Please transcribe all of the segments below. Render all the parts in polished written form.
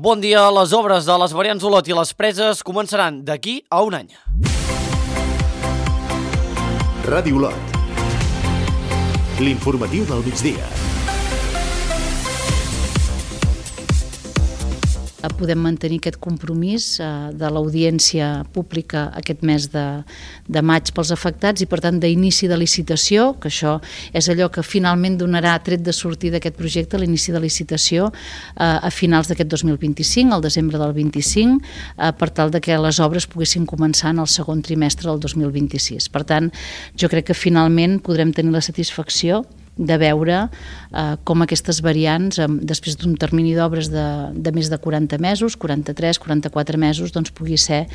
Bon dia. Les obres de les variants Olot i les Preses començaran d'aquí a un any. Ràdio Olot. L'informatiu del migdia. Podem mantenir aquest compromís de l'audiència pública aquest mes de maig pels afectats i, per tant, d'inici de licitació, que això és allò que finalment donarà tret de sortir d'aquest projecte, l'inici de licitació a finals d'aquest 2025, al desembre del 25, per tal de que les obres poguessin començar en el segon trimestre del 2026. Per tant, jo crec que finalment podrem tenir la satisfacció de veure com aquestes variants, després d'un termini d'obres de més de 40 mesos, 43, 44 mesos, doncs pugui ser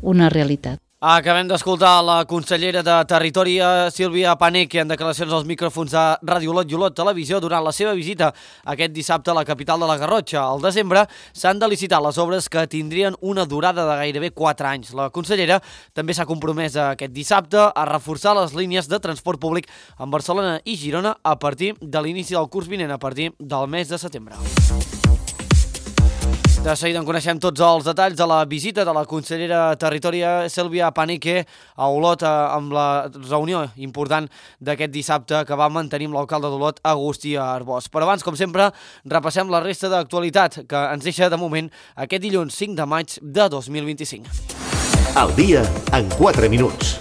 una realitat. Acabem d'escoltar la consellera de Territori, Sílvia Paneque, en declaracions als micròfons de Ràdio Olot i Olot Televisió durant la seva visita aquest dissabte a la capital de la Garrotxa. Al desembre s'han de licitar les obres que tindrien una durada de gairebé 4 anys. La consellera també s'ha compromès aquest dissabte a reforçar les línies de transport públic en Barcelona i Girona a partir de l'inici del curs vinent, a partir del mes de setembre. De seguida en coneixem tots els detalls de la visita de la consellera Territori, Sílvia Paneque, a Olot, amb la reunió important d'aquest dissabte que va mantenir amb l'alcalde d'Olot, Agustí Arbós. Però abans, com sempre, repassem la resta d'actualitat que ens deixa de moment aquest dilluns 5 de maig de 2025. El dia en 4 minuts.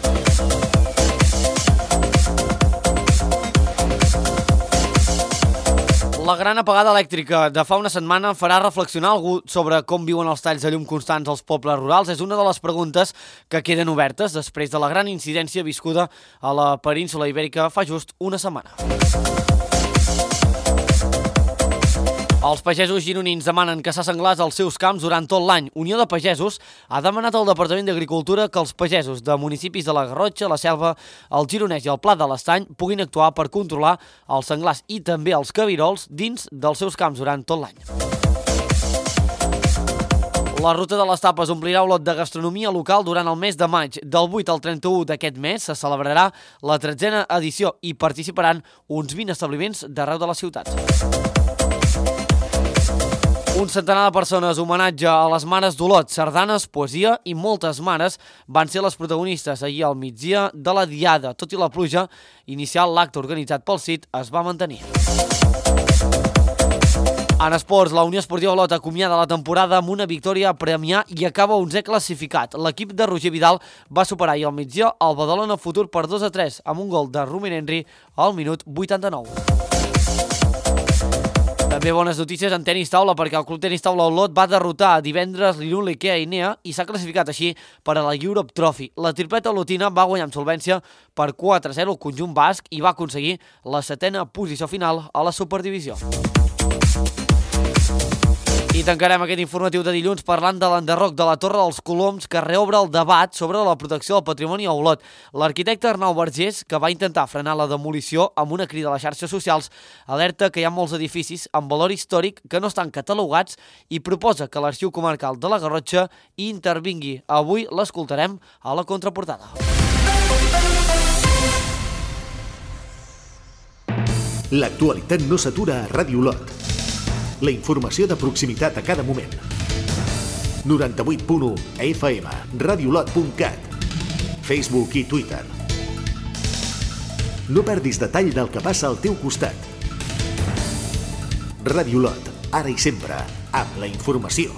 La gran apagada elèctrica de fa una setmana farà reflexionar algú sobre com viuen els talls de llum constants als pobles rurals. És una de les preguntes que queden obertes després de la gran incidència viscuda a la península Ibèrica fa just una setmana. Els pagesos gironins demanen caçar senglars als seus camps durant tot l'any. Unió de Pagesos ha demanat al Departament d'Agricultura que els pagesos de municipis de la Garrotxa, la Selva, el Gironès i el Pla de l'Estany puguin actuar per controlar els senglars i també els cabirols dins dels seus camps durant tot l'any. La ruta de les tapes omplirà Olot de gastronomia local durant el mes de maig. Del 8 al 31 d'aquest mes se celebrarà la 13a edició i participaran uns 20 establiments d'arreu de la ciutat. Un centenar de persones, homenatge a les mares d'Olot, sardanes, poesia i moltes mares van ser les protagonistes ahir al migdia de la Diada. Tot i la pluja inicial, l'acte organitzat pel CIT es va mantenir. En esports, la Unió Esportiva Olot acomiada la temporada amb una victòria a Premià i acaba 11è classificat. L'equip de Roger Vidal va superar ahir al migdia el Badalona Futur per 2-3 amb un gol de Rumen Henry al minut 89. També bones notícies en tenis taula perquè el Club Tenis Taula Olot va derrotar divendres l'Irun Ikea Inea i s'ha classificat així per a la Europe Trophy. La tripleta olotina va guanyar amb solvència per 4-0 el conjunt basc i va aconseguir la 7a posició final a la Superdivisió. I tancarem aquest informatiu de dilluns parlant de l'enderroc de la Torre dels Coloms que reobre el debat sobre la protecció del patrimoni a Olot. L'arquitecte Arnau Vergés, que va intentar frenar la demolició amb una crida a les xarxes socials, alerta que hi ha molts edificis amb valor històric que no estan catalogats i proposa que l'Arxiu Comarcal de la Garrotxa hi intervingui. Avui l'escoltarem a la contraportada. L'actualitat no s'atura a Ràdio Olot. La informació de proximitat a cada moment. 98.1 FM, radiolot.cat, Facebook i Twitter. No perdis detall del que passa al teu costat. Ràdio Olot, ara i sempre, amb la informació.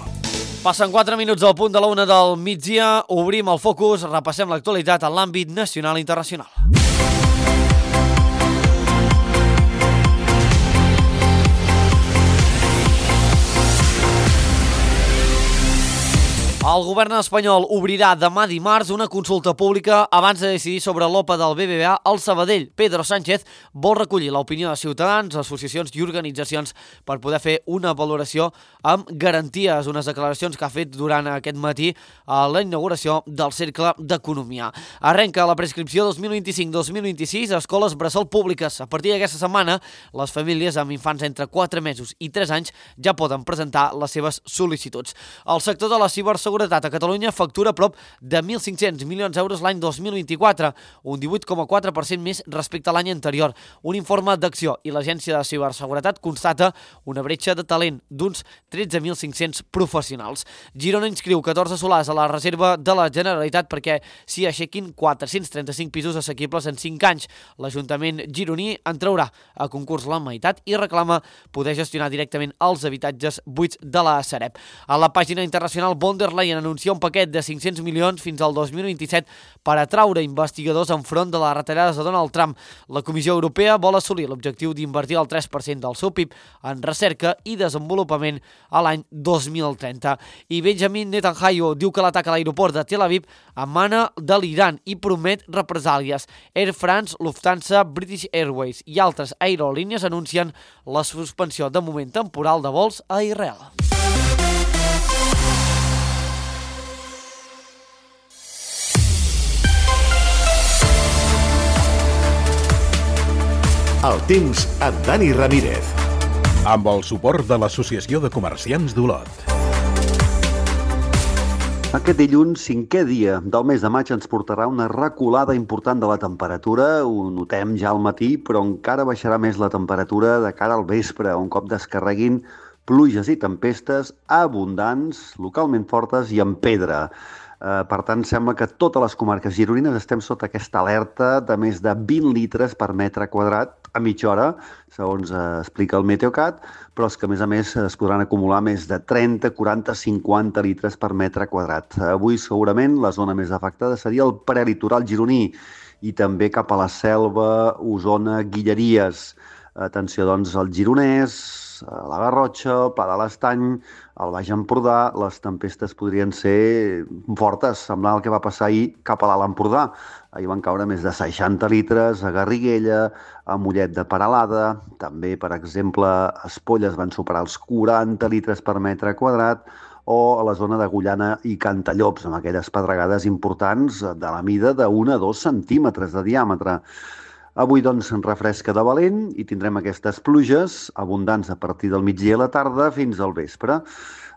Passen 4 minuts del punt de la 1 del migdia, obrim el focus, repassem l'actualitat en l'àmbit nacional i internacional. El govern espanyol obrirà demà dimarts una consulta pública abans de decidir sobre l'OPA del BBVA al Sabadell. Pedro Sánchez vol recollir l'opinió de ciutadans, associacions i organitzacions per poder fer una valoració amb garanties, unes declaracions que ha fet durant aquest matí a la inauguració del Cercle d'Economia. Arrenca la prescripció 2025-2026 a escoles bressol públiques. A partir d'aquesta setmana, les famílies amb infants entre 4 mesos i 3 anys ja poden presentar les seves sol·licituds. El sector de la ciberseguretat Seguretat a Catalunya factura prop de 1.500 milions d'euros l'any 2024, un 18,4% més respecte a l'any anterior. Un informe d'Acció i l'Agència de Ciberseguretat constata una bretxa de talent d'uns 13.500 professionals. Girona inscriu 14 solars a la reserva de la Generalitat perquè s'hi aixequin 435 pisos assequibles en 5 anys. L'Ajuntament gironí en traurà a concurs la meitat i reclama poder gestionar directament els habitatges buits de la Sareb. A la pàgina internacional, von der Leyen anuncia un paquet de 500 milions fins al 2027 per atraure investigadors enfront de les retallades de Donald Trump. La Comissió Europea vol assolir l'objectiu d'invertir el 3% del seu PIB en recerca i desenvolupament a l'any 2030. I Benjamin Netanyahu diu que l'atac a l'aeroport de Tel Aviv emana de l'Iran i promet represàlies. Air France, Lufthansa, British Airways i altres aerolínies anuncien la suspensió de moment temporal de vols a Israel. El temps amb Dani Ramírez. Amb el suport de l'Associació de Comerciants d'Olot. Aquest dilluns, 5è dia del mes de maig, ens portarà una reculada important de la temperatura. Ho notem ja al matí, però encara baixarà més la temperatura de cara al vespre, un cop descarreguin pluges i tempestes abundants, localment fortes i amb pedra. Per tant, sembla que totes les comarques gironines estem sota aquesta alerta de més de 20 litres per metre quadrat a mitja hora, segons explica el Meteocat, però és que, a més, es podran acumular més de 30, 40, 50 litres per metre quadrat. Avui, segurament, la zona més afectada seria el prelitoral gironí i també cap a la Selva, Osona, Guilleries. Atenció, doncs, al Gironès, a la Garrotxa, el Pla de l'Estany, al Baix Empordà. Les tempestes podrien ser fortes, semblant al que va passar ahir cap a l'Alt Empordà. Ahir van caure més de 60 litres a Garriguella, a Mollet de Peralada, també, per exemple, a Espolles van superar els 40 litres per metre quadrat, o a la zona d'Agullana i Cantallops, amb aquelles pedregades importants de la mida d'1 a 2 centímetres de diàmetre. Avui, doncs, refresca de valent i tindrem aquestes pluges abundants a partir del migdia i la tarda fins al vespre.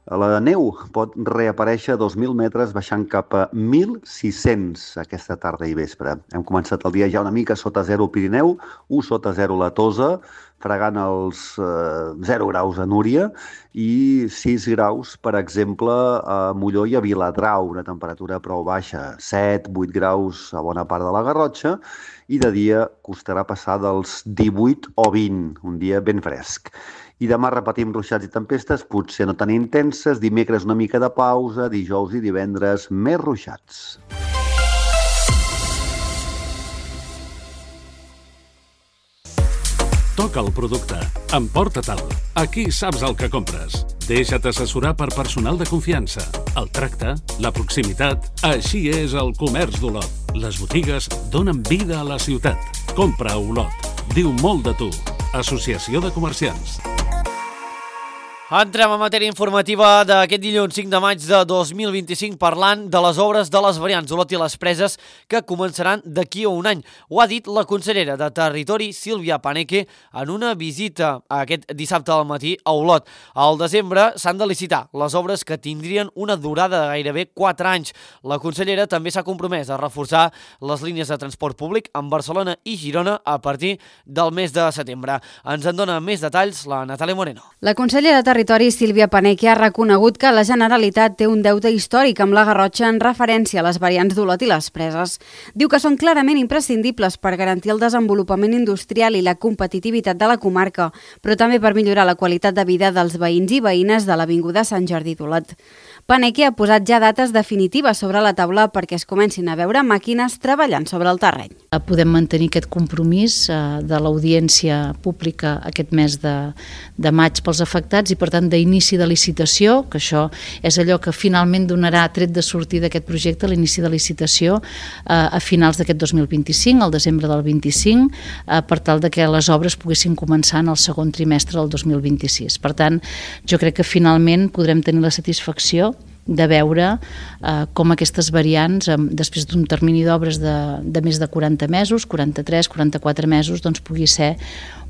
La neu pot reaparèixer a 2.000 metres baixant cap a 1.600 aquesta tarda i vespre. Hem començat el dia ja una mica sota 0 al Pirineu, 1 sota 0 a la Tosa, fregant els 0 graus a Núria i 6 graus, per exemple, a Molló i a Viladrau, una temperatura prou baixa, 7, 8 graus a bona part de la Garrotxa, i de dia costarà passar dels 18 o 20, un dia ben fresc. I demà repetim ruixats i tempestes, potser no tan intenses, dimecres una mica de pausa, dijous i divendres més ruixats. Toca el producte. Emporta-te'l. Aquí saps el que compres. Deixa't assessorar per personal de confiança. El tracte, la proximitat, així és el comerç d'Olot. Les botigues donen vida a la ciutat. Compra a Olot. Diu molt de tu. Associació de Comerciants. Entrem a matèria informativa d'aquest dilluns 5 de maig de 2025 parlant de les obres de les variants Olot i les Preses que començaran d'aquí a un any. Ho ha dit la consellera de Territori, Sílvia Paneque, en una visita aquest dissabte al matí a Olot. Al desembre s'han de licitar les obres que tindrien una durada de gairebé 4 anys. La consellera també s'ha compromès a reforçar les línies de transport públic en Barcelona i Girona a partir del mes de setembre. Ens en dona més detalls la Natàlia Moreno. La consellera de Territori, Sílvia Paneque, ha reconegut que la Generalitat té un deute històric amb la Garrotxa en referència a les variants d'Olot i les Preses. Diu que són clarament imprescindibles per garantir el desenvolupament industrial i la competitivitat de la comarca, però també per millorar la qualitat de vida dels veïns i veïnes de l'Avinguda Sant Jordi d'Olot. Paneque ha posat ja dates definitives sobre la taula perquè es comencin a veure màquines treballant sobre el terreny. Podem mantenir aquest compromís de l'audiència pública aquest mes de maig pels afectats i, per tant, d'inici de licitació, que això és allò que finalment donarà tret de sortir d'aquest projecte, l'inici de licitació a finals d'aquest 2025, al desembre del 25, per tal de que les obres poguessin començar en el segon trimestre del 2026. Per tant, jo crec que finalment podrem tenir la satisfacció de veure com aquestes variants, després d'un termini d'obres de més de 40 mesos, 43, 44 mesos, doncs pugui ser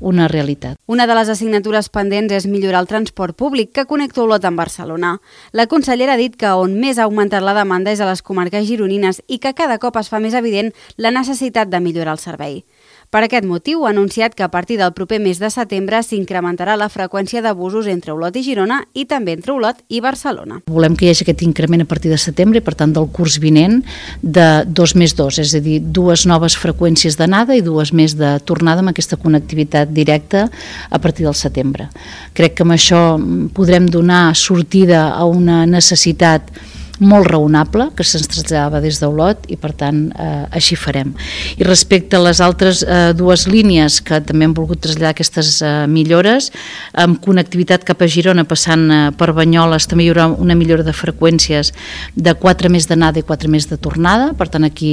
una realitat. Una de les assignatures pendents és millorar el transport públic que connecta Olot amb Barcelona. La consellera ha dit que on més ha augmentat la demanda és a les comarques gironines i que cada cop es fa més evident la necessitat de millorar el servei. Per aquest motiu, ha anunciat que a partir del proper mes de setembre s'incrementarà la freqüència de busos entre Olot i Girona i també entre Olot i Barcelona. Volem que hi hagi aquest increment a partir de setembre i, per tant, del curs vinent de 2+2, és a dir, 2 noves freqüències d'anada i 2 més de tornada amb aquesta connectivitat directa a partir del setembre. Crec que amb això podrem donar sortida a una necessitat molt raonable que se'ns traslladava des d'Olot i, per tant, així farem. I respecte a les altres 2 línies que també hem volgut traslladar aquestes millores, amb connectivitat cap a Girona passant per Banyoles també hi haurà una millora de freqüències de 4 més d'anada i 4 més de tornada, per tant aquí.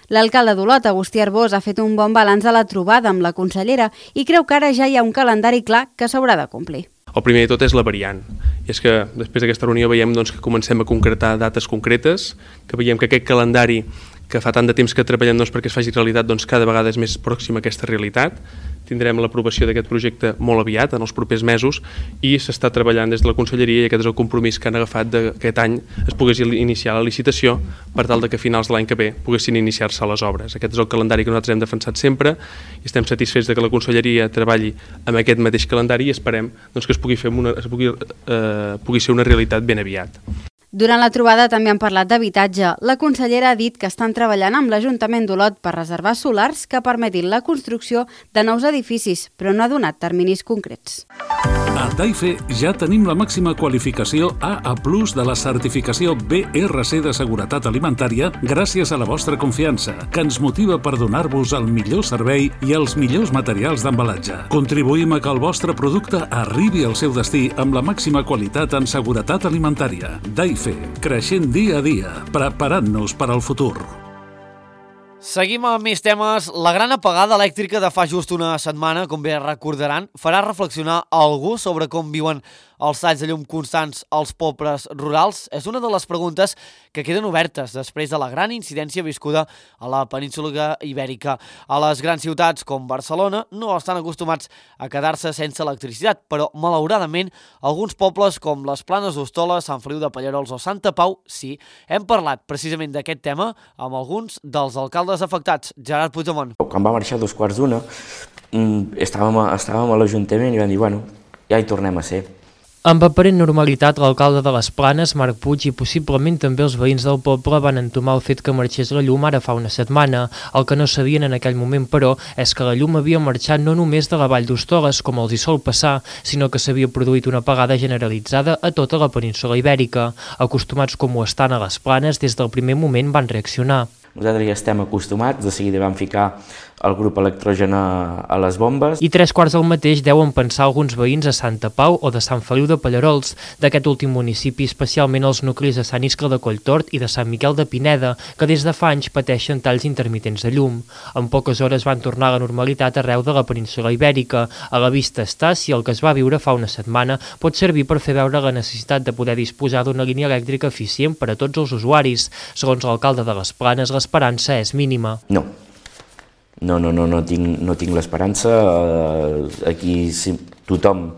L'alcalde d'Olot, Agustí Arbós, ha fet un bon balanç de la trobada amb la consellera i creu que ara ja hi ha un calendari clar que s'haurà de complir. El primer de tot és la variant, i és que després d'aquesta reunió veiem que comencem a concretar dates concretes, que veiem que aquest calendari que fa tant de temps que treballem perquè es faci realitat, cada vegada és més pròxim a aquesta realitat. Tindrem l'aprovació d'aquest projecte molt aviat, en els propers mesos, i s'està treballant des de la Conselleria, i aquest és el compromís que han agafat d'aquest any es pogués iniciar la licitació per tal que a finals de l'any que ve poguessin iniciar-se les obres. Aquest és el calendari que nosaltres hem defensat sempre i estem satisfets que la Conselleria treballi amb aquest mateix calendari i esperem que pugui ser una realitat ben aviat. Durant la trobada també han parlat d'habitatge. La consellera ha dit que estan treballant amb l'Ajuntament d'Olot per reservar solars que permetin la construcció de nous edificis, però no ha donat terminis concrets. A Taife ja tenim la màxima qualificació AA+ de la certificació BRC de seguretat alimentària gràcies a la vostra confiança, que ens motiva per donar-vos el millor servei i els millors materials d'embalatge. Contribuïm a que el vostre producte arribi al seu destí amb la màxima qualitat en seguretat alimentària. Taife, creixent dia a dia, preparant-nos per al futur. Seguim amb més temes. La gran apagada elèctrica de fa just una setmana, com bé recordaran, farà reflexionar algú sobre com viuen els talls de llum constants als pobles rurals? És una de les preguntes que queden obertes després de la gran incidència viscuda a la península Ibèrica. A les grans ciutats com Barcelona no estan acostumats a quedar-se sense electricitat, però malauradament alguns pobles com les Planes d'Hostoles, Sant Feliu de Pallerols o Santa Pau sí. Hem parlat precisament d'aquest tema amb alguns dels alcaldes afectats. Gerard Puigdemont. Quan va marxar a 2:15 estàvem a l'Ajuntament i vam dir, bueno, ja hi tornem a ser. Amb aparent normalitat, l'alcalde de les Planes, Marc Puig, i possiblement també els veïns del poble van entomar el fet que marxés la llum ara fa una setmana. El que no sabien en aquell moment, però, és que la llum havia marxat no només de la Vall d'Hostoles, com els hi sol passar, sinó que s'havia produït una apagada generalitzada a tota la península Ibèrica. Acostumats com ho estan a les Planes, des del primer moment van reaccionar. Nosaltres ja estem acostumats, de seguida vam ficar el grup electrogen a les bombes. I 3/4 del mateix deuen pensar alguns veïns a Santa Pau o de Sant Feliu de Pallerols, d'aquest últim municipi, especialment els nuclis de Sant Iscle de Colltort i de Sant Miquel de Pineda, que des de fa anys pateixen talls intermitents de llum. En poques hores van tornar a la normalitat arreu de la península Ibèrica. A la vista està si el que es va viure fa una setmana pot servir per fer veure la necessitat de poder disposar d'una línia elèctrica eficient per a tots els usuaris. Segons l'alcalde de les Planes, l'esperança és mínima. No tinc l'esperança. Aquí tothom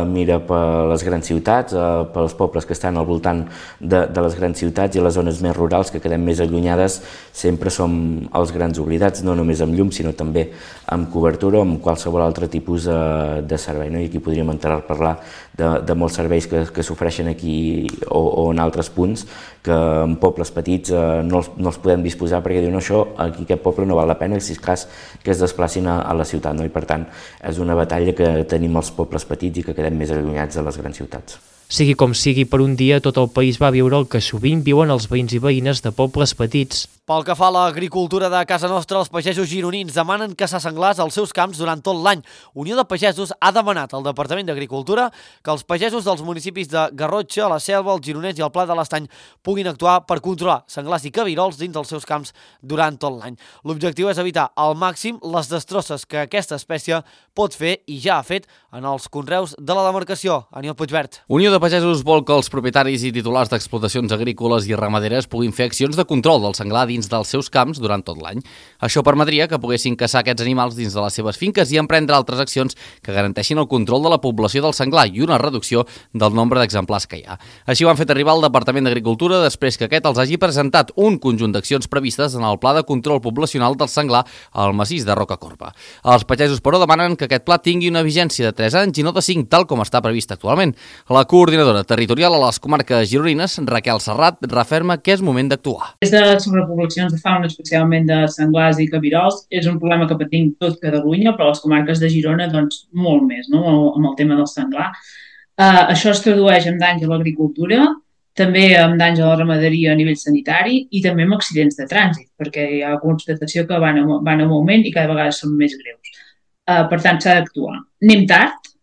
mira per les grans ciutats, pels pobles que estan al voltant de les grans ciutats, i les zones més rurals que quedem més allunyades sempre som els grans oblidats, no només amb llum sinó també amb cobertura o amb qualsevol altre tipus de servei. I aquí podríem entrar a parlar de molts serveis que s'ofereixen aquí o en altres punts que en pobles petits no els podem disposar perquè diuen això, aquí aquest poble no val la pena, si és cas que es desplacin a la ciutat. I per tant és una batalla que tenim els pobles petits i que quedem més allunyats de les grans ciutats. Sigui com sigui, per un dia tot el país va viure el que sovint viuen els veïns i veïnes de pobles petits. Pel que fa a l'agricultura de casa nostra, els pagesos gironins demanen caçar senglars als seus camps durant tot l'any. Unió de Pagesos ha demanat al Departament d'Agricultura que els pagesos dels municipis de Garrotxa, la Selva, el Gironès i el Pla de l'Estany puguin actuar per controlar senglars i cabirols dins dels seus camps durant tot l'any. L'objectiu és evitar al màxim les destrosses que aquesta espècie pot fer i ja ha fet en els conreus de la demarcació. Aniol Puigvert. Unió de Pagesos vol que els propietaris i titulars d'explotacions agrícoles i ramaderes puguin fer accions de control del senglar dins dels seus camps durant tot l'any. Això permetria que poguessin caçar aquests animals dins de les seves finques i emprendre altres accions que garanteixin el control de la població del senglar i una reducció del nombre d'exemplars que hi ha. Així ho han fet arribar al Departament d'Agricultura després que aquest els hagi presentat un conjunt d'accions previstes en el Pla de Control Poblacional del Senglar al massís de Rocacorba. Els pagesos, però, demanen que aquest pla tingui una vigència de 3 anys i no de 5, tal com està previst actualment. La coordinadora territorial a les comarques gironines, Raquel Serrat, referma que és moment d'actuar. Des de sobrepoblacions de fauna, especialment de senglars i cabirols, és un problema que patim tot Catalunya, però les comarques de Girona, doncs, molt més, no?, amb el tema del senglar. Això es tradueix en danys a l'agricultura, també amb danys a la ramaderia a nivell sanitari i també amb accidents de trànsit, perquè hi ha constatació que van en augment i cada vegada són més greus. Per tant, s'ha d'actuar.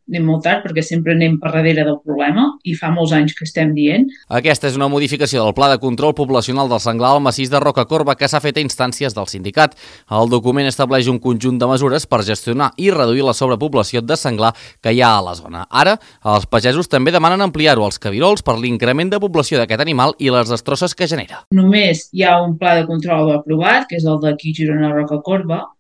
Anem molt tard perquè sempre anem per darrere del problema i fa molts anys que estem dient. Aquesta és una modificació del Pla de Control Poblacional del Senglar al massís de Rocacorba que s'ha fet a instàncies del sindicat. El document estableix un conjunt de mesures per gestionar i reduir la sobrepoblació de senglar que hi ha a la zona. Ara, els pagesos també demanen ampliar-ho als cabirols per l'increment de població d'aquest animal i les destrosses que genera. Només hi ha un pla de control aprovat, que és el d'aquí Girona Rocacorba,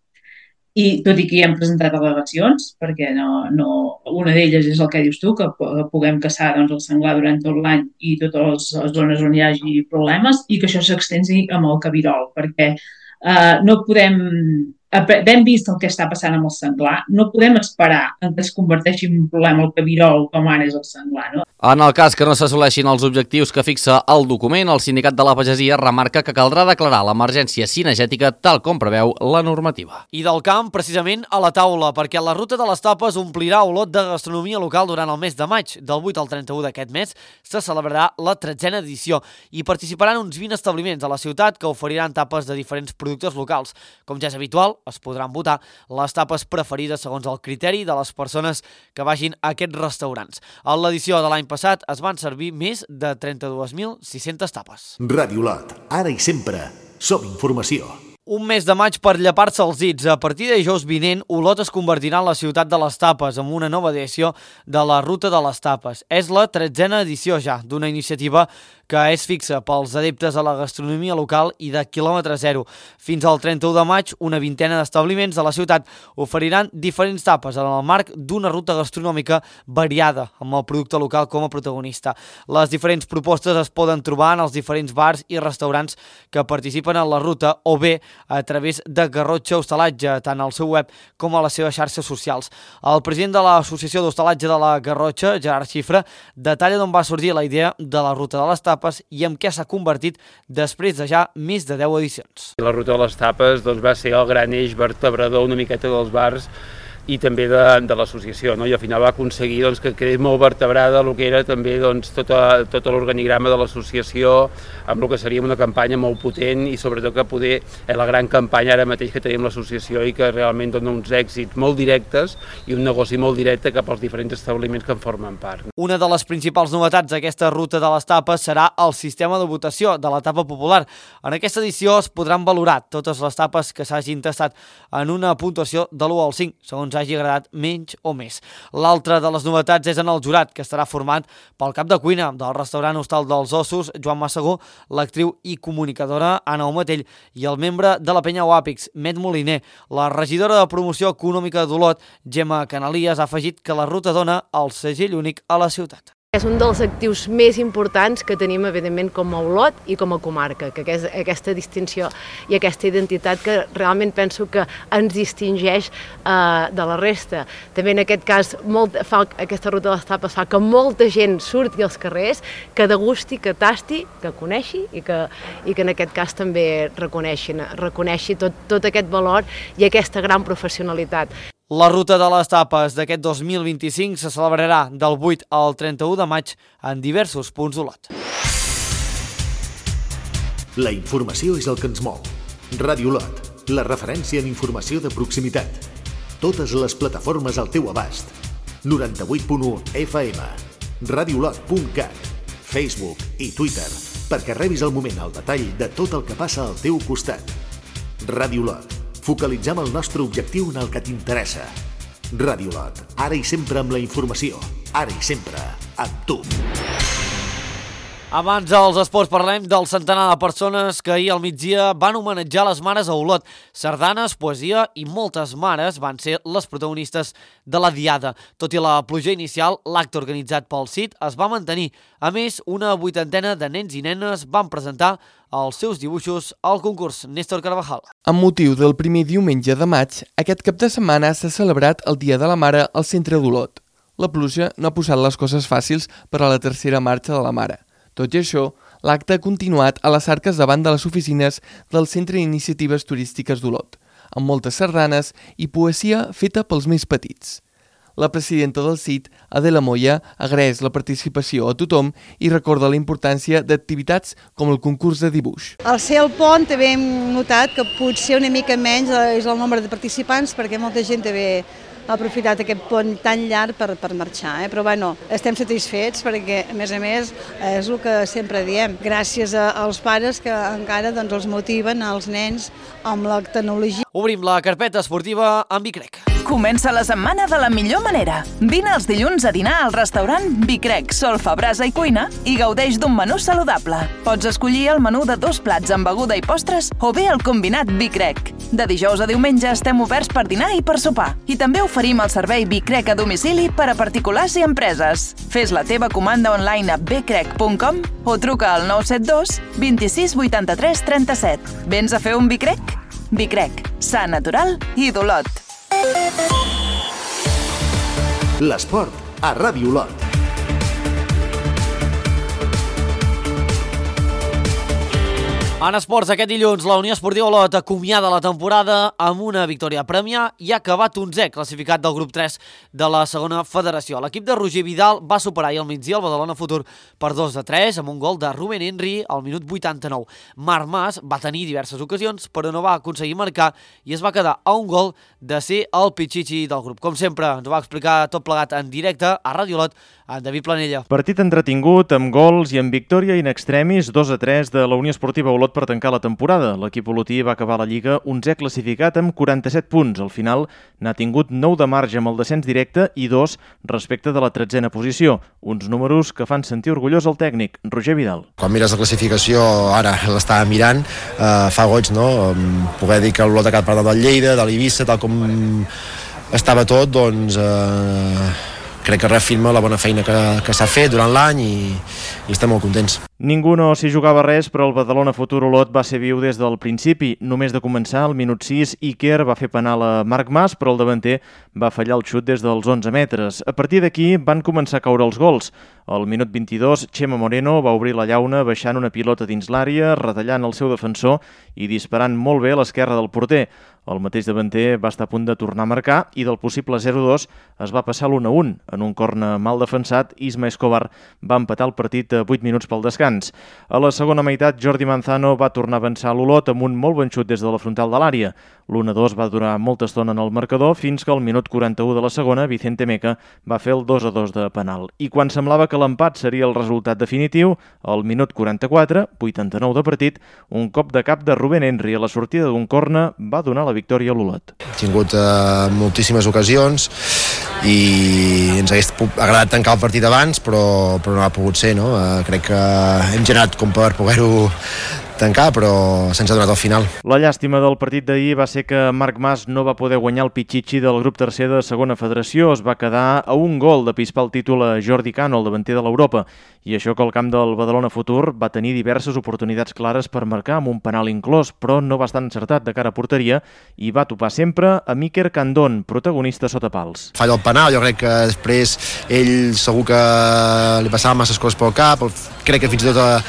i tot i que hi hem presentat al·legacions, perquè una d'elles és el que dius tu, que puguem caçar el senglar durant tot l'any i totes les zones on hi hagi problemes, i que això s'extensi amb el cabirol, perquè no podem... Hem vist el que està passant amb el senglar, no podem esperar que es converteixi en un problema el cabirol com ara és el senglar, no? En el cas que no s'assoleixin els objectius que fixa el document, el Sindicat de la Pagesia remarca que caldrà declarar l'emergència cinegètica tal com preveu la normativa. I del camp, precisament, a la taula, perquè la Ruta de les Tapes omplirà olot de gastronomia local durant el mes de maig. Del 8 al 31 d'aquest mes se celebrarà la 13a edició i participaran uns 20 establiments a la ciutat que oferiran tapes de diferents productes locals. Com ja és habitual, es podran votar les tapes preferides segons el criteri de les persones que vagin a aquests restaurants. A l'edició de l'any passat es van servir més de 32.600 tapes. Ràdio Olot, ara i sempre, som informació. Un mes de maig per llepar-se els dits. A partir de dijous vinent, Olot es convertirà en la ciutat de les tapes amb una nova edició de la Ruta de les Tapes. És la 13a edició ja d'una iniciativa que és fixa pels adeptes a la gastronomia local i de quilòmetre zero. Fins al 31 de maig, una vintena d'establiments de la ciutat oferiran diferents tapes en el marc d'una ruta gastronòmica variada, amb el producte local com a protagonista. Les diferents propostes es poden trobar en els diferents bars i restaurants que participen en la ruta o bé a través de Garrotxa Hostalatge, tant al seu web com a les seves xarxes socials. El president de l'Associació d'Hostalatge de la Garrotxa, Gerard Xifra, detalla d'on va sorgir la idea de la Ruta de les Tapes i en què s'ha convertit després de ja més de 10 edicions. La Ruta de les Tapes va ser el gran eix vertebrador una miqueta dels bars i també de l'associació, no? I al final va aconseguir que quedés molt vertebrada el que era també tot l'organigrama de l'associació, amb el que seria una campanya molt potent i sobretot que poder la gran campanya ara mateix que tenim l'associació i que realment dona uns èxits molt directes i un negoci molt directe cap als diferents establiments que en formen part. Una de les principals novetats d'aquesta Ruta de les Tapes serà el sistema de votació de la tapa popular. En aquesta edició es podran valorar totes les tapes que s'hagin tastat en una puntuació de l'1 al 5, segons hagi agradat menys o més. L'altra de les novetats és en el jurat, que estarà format pel cap de cuina del restaurant Hostal dels Ossos, Joan Massagó, l'actriu i comunicadora Anna Omatell i el membre de la penya Oàpix, Met Moliner. La regidora de promoció econòmica d'Olot, Gemma Canalies, ha afegit que la ruta dona el segell únic a la ciutat. És un dels actius més importants que tenim, evidentment, com a Olot i com a comarca, que és aquesta distinció i aquesta identitat que realment penso que ens distingeix de la resta. També en aquest cas, aquesta Ruta de les Tapes fa que molta gent surti als carrers, que degusti, que tasti, que coneixi i que en aquest cas també reconeixi tot aquest valor i aquesta gran professionalitat. La Ruta de les Tapes d'aquest 2025 se celebrarà del 8 al 31 de maig en diversos punts d'Olot. La informació és el que ens mou. Ràdio Olot, la referència en informació de proximitat. Totes les plataformes al teu abast. 98.1 FM, radioolot.cat, Facebook i Twitter, perquè rebis al moment el detall de tot el que passa al teu costat. Ràdio Olot, focalitzem el nostre objectiu en el que t'interessa. Ràdio Olot, ara i sempre amb la informació, ara i sempre amb tu. Abans dels esports parlem del centenar de persones que ahir al migdia van homenatjar les mares a Olot. Sardanes, poesia i moltes mares van ser les protagonistes de la diada. Tot i la pluja inicial, l'acte organitzat pel CIT es va mantenir. A més, una 80ena de nens i nenes van presentar els seus dibuixos al concurs. Néstor Carvajal. Amb motiu del primer diumenge de maig, aquest cap de setmana s'ha celebrat el Dia de la Mare al centre d'Olot. La pluja no ha posat les coses fàcils per a la tercera marxa de la Mare. Tot i això, l'acte ha continuat a les arques davant de les oficines del Centre d'Iniciatives Turístiques d'Olot, amb moltes sardanes i poesia feta pels més petits. La presidenta del CIT, Adela Moya, agraeix la participació a tothom i recorda la importància d'activitats com el concurs de dibuix. Al ser el pont també hem notat que potser una mica menys és el nombre de participants perquè molta gent també ha aprofitat aquest pont tan llarg per marxar, però bueno, estem satisfets perquè, a més, és el que sempre diem. Gràcies als pares que encara els motiven als nens amb la tecnologia. Obrim la carpeta esportiva amb Bicrec. Comença la setmana de la millor manera. Vine els dilluns a dinar al restaurant Bicrec, solfa, brasa i cuina i gaudeix d'un menú saludable. Pots escollir el menú de 2 plats amb beguda i postres o bé el combinat Bicrec. De dijous a diumenge estem oberts per dinar i per sopar. I també oferim el servei Bicrec a domicili per a particulars i empreses. Fes la teva comanda online a bcrec.com o truca al 972 26 83 37. Vens a fer un Bicrec? Bicrec, sa, natural i d'Olot. L'esport a Ràdio Olot. En esports, aquest dilluns, la Unió Esportiva Olot acomiada la temporada amb una victòria a Premià i ha acabat 11è classificat del grup 3 de la segona federació. L'equip de Roger Vidal va superar ahir al migdia el Badalona Futur per 2-3 amb un gol de Rubén Henry al minut 89. Marc Mas va tenir diverses ocasions, però no va aconseguir marcar i es va quedar a un gol de ser el pitxitxi del grup. Com sempre, ens ho va explicar tot plegat en directe a Ràdio Olot, en David Planella. Partit entretingut, amb gols i amb victòria in extremis 2-3 de la Unió Esportiva Olot per tancar la temporada. L'equip olotí va acabar la Lliga 11è classificat amb 47 punts. Al final n'ha tingut 9 de marge amb el descens directe i 2 respecte de la 13a posició. Uns números que fan sentir orgullós el tècnic, Roger Vidal. Quan mires la classificació, ara l'estava mirant, fa goig, no? Poder dir que l'Olot ha quedat per davant del Lleida, de l'Eivissa, tal com estava tot, doncs crec que reafirma la bona feina que s'ha fet durant l'any i estem molt contents. Ningú no s'hi jugava res, però el Badalona Futur Olot va ser viu des del principi. Només de començar, al minut 6, Iker va fer penal a Marc Mas, però el davanter va fallar el xut des dels 11 metres. A partir d'aquí van començar a caure els gols. Al minut 22, Chema Moreno va obrir la llauna baixant una pilota dins l'àrea, retallant el seu defensor i disparant molt bé a l'esquerra del porter. El mateix davanter va estar a punt de tornar a marcar i del possible 0-2 es va passar l'1-1. En un corner mal defensat, Isma Escobar va empatar el partit a 8 minuts pel descans. A la segona meitat, Jordi Manzano va tornar a avançar a l'Olot amb un molt bon xut des de la frontal de l'àrea. L'1-2 va durar molta estona en el marcador fins que al minut 41 de la segona, Vicente Meca va fer el 2-2 de penal. I quan semblava que l'empat seria el resultat definitiu, al minut 44, 89 de partit, un cop de cap de Rubén Henry a la sortida d'un corner va donar la victòria a l'Olot. He tingut moltíssimes ocasions i ens hagués agradat tancar el partit abans, però no ha pogut ser, no? Crec que hem generat com per poder-ho tancar, però se'ns ha donat al final. La llàstima del partit d'ahir va ser que Marc Mas no va poder guanyar el pitxitxi del grup tercer de segona federació. Es va quedar a un gol de pispar el títol a Jordi Cano, el davanter de l'Europa, i això que el camp del Badalona Futur va tenir diverses oportunitats clares per marcar amb un penal inclòs, però no va estar encertat de cara a porteria i va topar sempre a Iker Candón, protagonista sota pals. Falla el penal, jo crec que després ell segur que li passaven masses coses pel cap, crec que fins i tot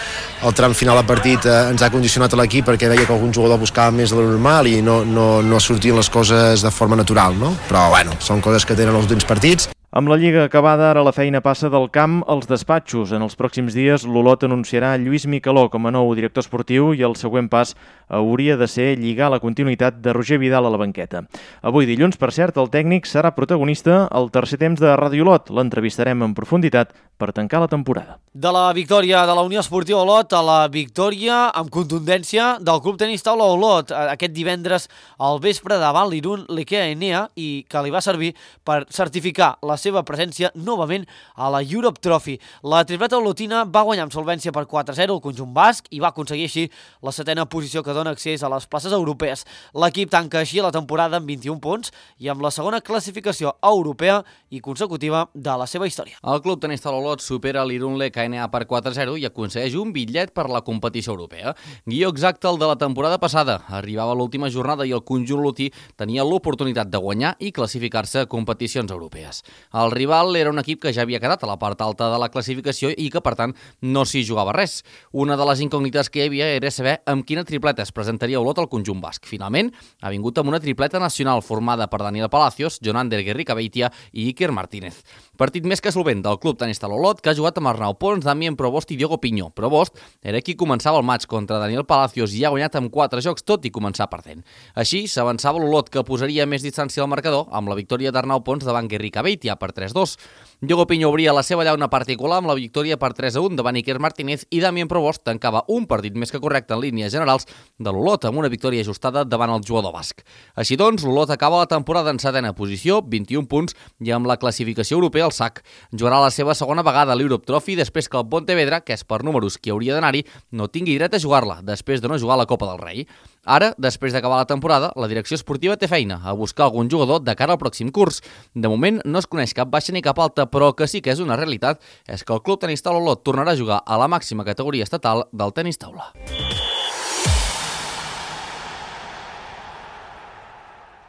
el tram final del partit ens ha condicionat a l'equip perquè veia que algun jugador buscava més de lo normal i no sortien les coses de forma natural, no? Però bueno, són coses que tenen els últims partits. Amb la Lliga acabada, ara la feina passa del camp als despatxos. En els pròxims dies, l'Olot anunciarà Lluís Micaló com a nou director esportiu i el següent pas hauria de ser lligar la continuïtat de Roger Vidal a la banqueta. Avui dilluns, per cert, el tècnic serà protagonista al tercer temps de Ràdio Olot. L'entrevistarem en profunditat per tancar la temporada. De la victòria de la Unió Esportiva Olot a la victòria amb contundència del Club Tenis Taula Olot aquest divendres al vespre davant l'Irun l'Ikea Enea i que li va servir per certificar la seva presència novament a la Europe Trophy. La tripleta olotina va guanyar amb solvència per 4-0 el conjunt basc i va aconseguir així la setena posició que dona accés a les places europees. L'equip tanca així la temporada amb 21 punts i amb la segona classificació europea i consecutiva de la seva història. El Club Tenis Taula Olot supera l'Irun l'EKNA per 4-0 i aconsegueix un bitllet per la competició europea. Guió exacte el de la temporada passada. Arribava l'última jornada i el conjunt olotí tenia l'oportunitat de guanyar i classificar-se a competicions europees. El rival era un equip que ja havia quedat a la part alta de la classificació i que, per tant, no s'hi jugava res. Una de les incògnites que hi havia era saber amb quina tripleta es presentaria Olot al conjunt basc. Finalment, ha vingut amb una tripleta nacional formada per Daniel Palacios, Jonander Guerricabeitia i Iker Martínez. Partit més que solvent del Club Tenis Taula Olot, que ha jugat amb Arnau Pons, Damien Provost i Diogo Piñó. Provost era qui començava el maig contra Daniel Palacios i ha guanyat amb 4 jocs, tot i començar perdent. Així, s'avançava l'Olot, que posaria més distància al marcador amb la victòria d'Arnau Pons davant Guerricabeitia per 3-2. Diogo Piñó obria la seva llauna particular amb la victòria per 3-1 davant Iker Martínez i Damien Provost tancava un partit més que correcte en línies generals de l'Olot amb una victòria ajustada davant el jugador basc. Així doncs, l'Olot acaba la temporada en setena posició, 21 punts i amb la classificació europea al sac. Jugarà la seva segona vegada a l'Europe Trophy després que el Pontevedra, que és per números qui hauria d'anar-hi, no tingui dret a jugar-la després de no jugar a la Copa del Rei. Ara, després d'acabar la temporada, la direcció esportiva té feina a buscar algun jugador de cara al pròxim curs. De moment no es coneix cap baixa ni cap alta, però que sí que és una realitat és que el Club Tenis Taula Olot tornarà a jugar a la màxima categoria estatal del tenis taula.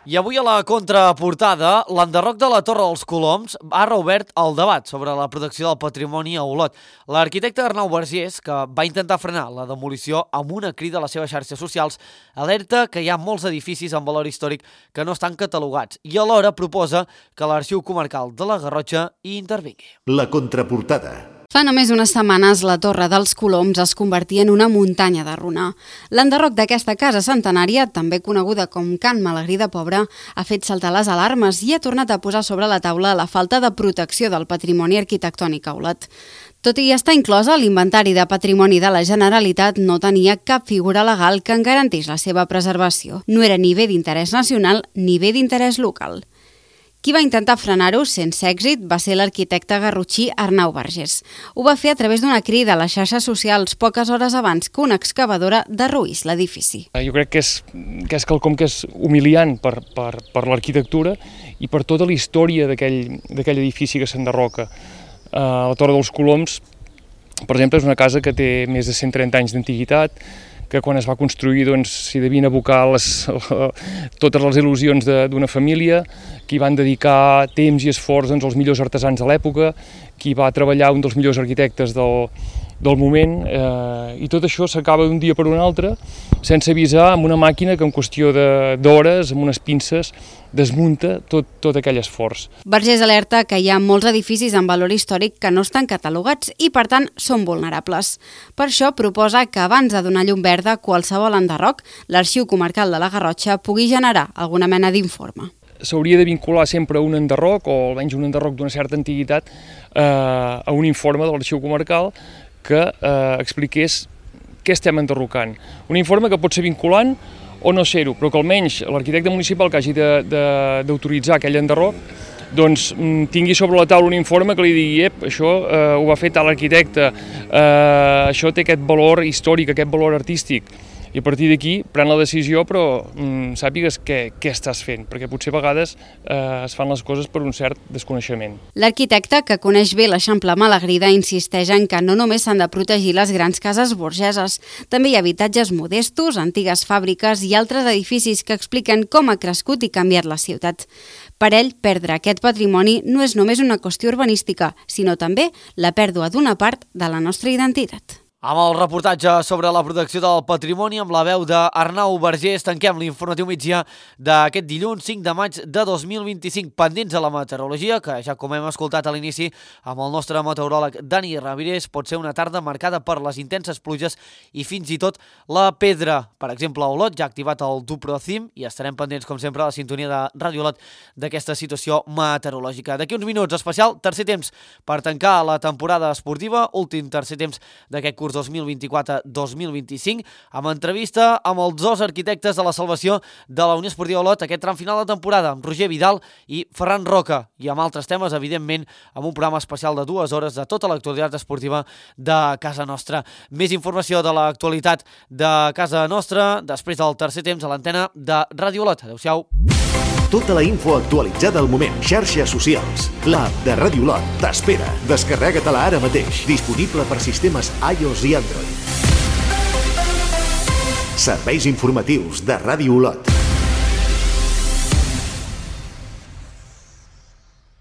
I avui a la contraportada, l'enderroc de la Torre dels Coloms ha reobert el debat sobre la protecció del patrimoni a Olot. L'arquitecte Arnau Vergés, que va intentar frenar la demolició amb una crida a les seves xarxes socials, alerta que hi ha molts edificis amb valor històric que no estan catalogats i alhora proposa que l'Arxiu Comarcal de la Garrotxa hi intervingui. La contraportada. Fa només unes setmanes, la Torre dels Coloms es convertia en una muntanya de runar. L'enderroc d'aquesta casa centenària, també coneguda com Can Malagrí de Pobre, ha fet saltar les alarmes i ha tornat a posar sobre la taula la falta de protecció del patrimoni arquitectònic a Olot. Tot i estar inclosa a l'Inventari de Patrimoni de la Generalitat, no tenia cap figura legal que en garantís la seva preservació. No era ni bé d'interès nacional ni bé d'interès local. Qui va intentar frenar-ho sense èxit va ser l'arquitecte garrotxí Arnau Vergés. Ho va fer a través d'una crida a les xarxes socials poques hores abans que una excavadora derruís l'edifici. Jo crec que és quelcom que és humiliant per l'arquitectura i per tota la història d'aquell edifici que s'enderroca. La Torre dels Coloms, per exemple, és una casa que té més de 130 anys d'antiguitat, que quan es va construir s'hi devien abocar totes les il·lusions d'una família, que hi van dedicar temps i esforç els millors artesans de l'època, que hi va treballar un dels millors arquitectes del moment, i tot això s'acaba d'un dia per un altre, sense avisar, amb una màquina que en qüestió d'hores, amb unes pinces, desmunta tot aquell esforç. Vergés alerta que hi ha molts edificis amb valor històric que no estan catalogats i, per tant, són vulnerables. Per això proposa que abans de donar llum verda a qualsevol enderroc, l'Arxiu Comarcal de la Garrotxa pugui generar alguna mena d'informe. S'hauria de vincular sempre un enderroc, o almenys un enderroc d'una certa antiguitat, a un informe de l'Arxiu Comarcal que expliqués què estem enderrocant. Un informe que pot ser vinculant o no ser-ho, però que almenys l'arquitecte municipal que hagi d'autoritzar aquell enderroc tingui sobre la taula un informe que li digui això ho va fer tal arquitecte, això té aquest valor històric, aquest valor artístic. I a partir d'aquí pren la decisió, però sàpigues què estàs fent, perquè potser a vegades es fan les coses per un cert desconeixement. L'arquitecte, que coneix bé l'Eixample Malagrida, insisteix en que no només s'han de protegir les grans cases burgeses, també hi ha habitatges modestos, antigues fàbriques i altres edificis que expliquen com ha crescut i canviat la ciutat. Per ell, perdre aquest patrimoni no és només una qüestió urbanística, sinó també la pèrdua d'una part de la nostra identitat. Amb el reportatge sobre la protecció del patrimoni amb la veu d'Arnau Vergés tanquem l'informatiu migdia d'aquest dilluns 5 de maig de 2025. Pendents a la meteorologia, que ja com hem escoltat a l'inici amb el nostre meteoròleg Dani Ravirés, pot ser una tarda marcada per les intenses pluges i fins i tot la pedra. Per exemple, a Olot ja ha activat el Duprocim i estarem pendents, com sempre, a la sintonia de Ràdio Olot d'aquesta situació meteorològica. D'aquí uns minuts, especial tercer temps per tancar la temporada esportiva, últim tercer temps d'aquest curs 2024-2025, amb entrevista amb els dos arquitectes de la salvació de la Unió Esportiva Olot, aquest tram final de temporada, amb Roger Vidal i Ferran Roca, i amb altres temes, evidentment, amb un programa especial de 2 hores de tota l'actualitat esportiva de casa nostra. Més informació de l'actualitat de casa nostra després del tercer temps a l'antena de Ràdio Olot. Adéu-siau. Tota la info actualitzada al moment. Xarxes socials. L'app de Ràdio Olot t'espera. Descarrega-te-la ara mateix. Disponible per sistemes iOS i Android. Serveis informatius de Ràdio Olot.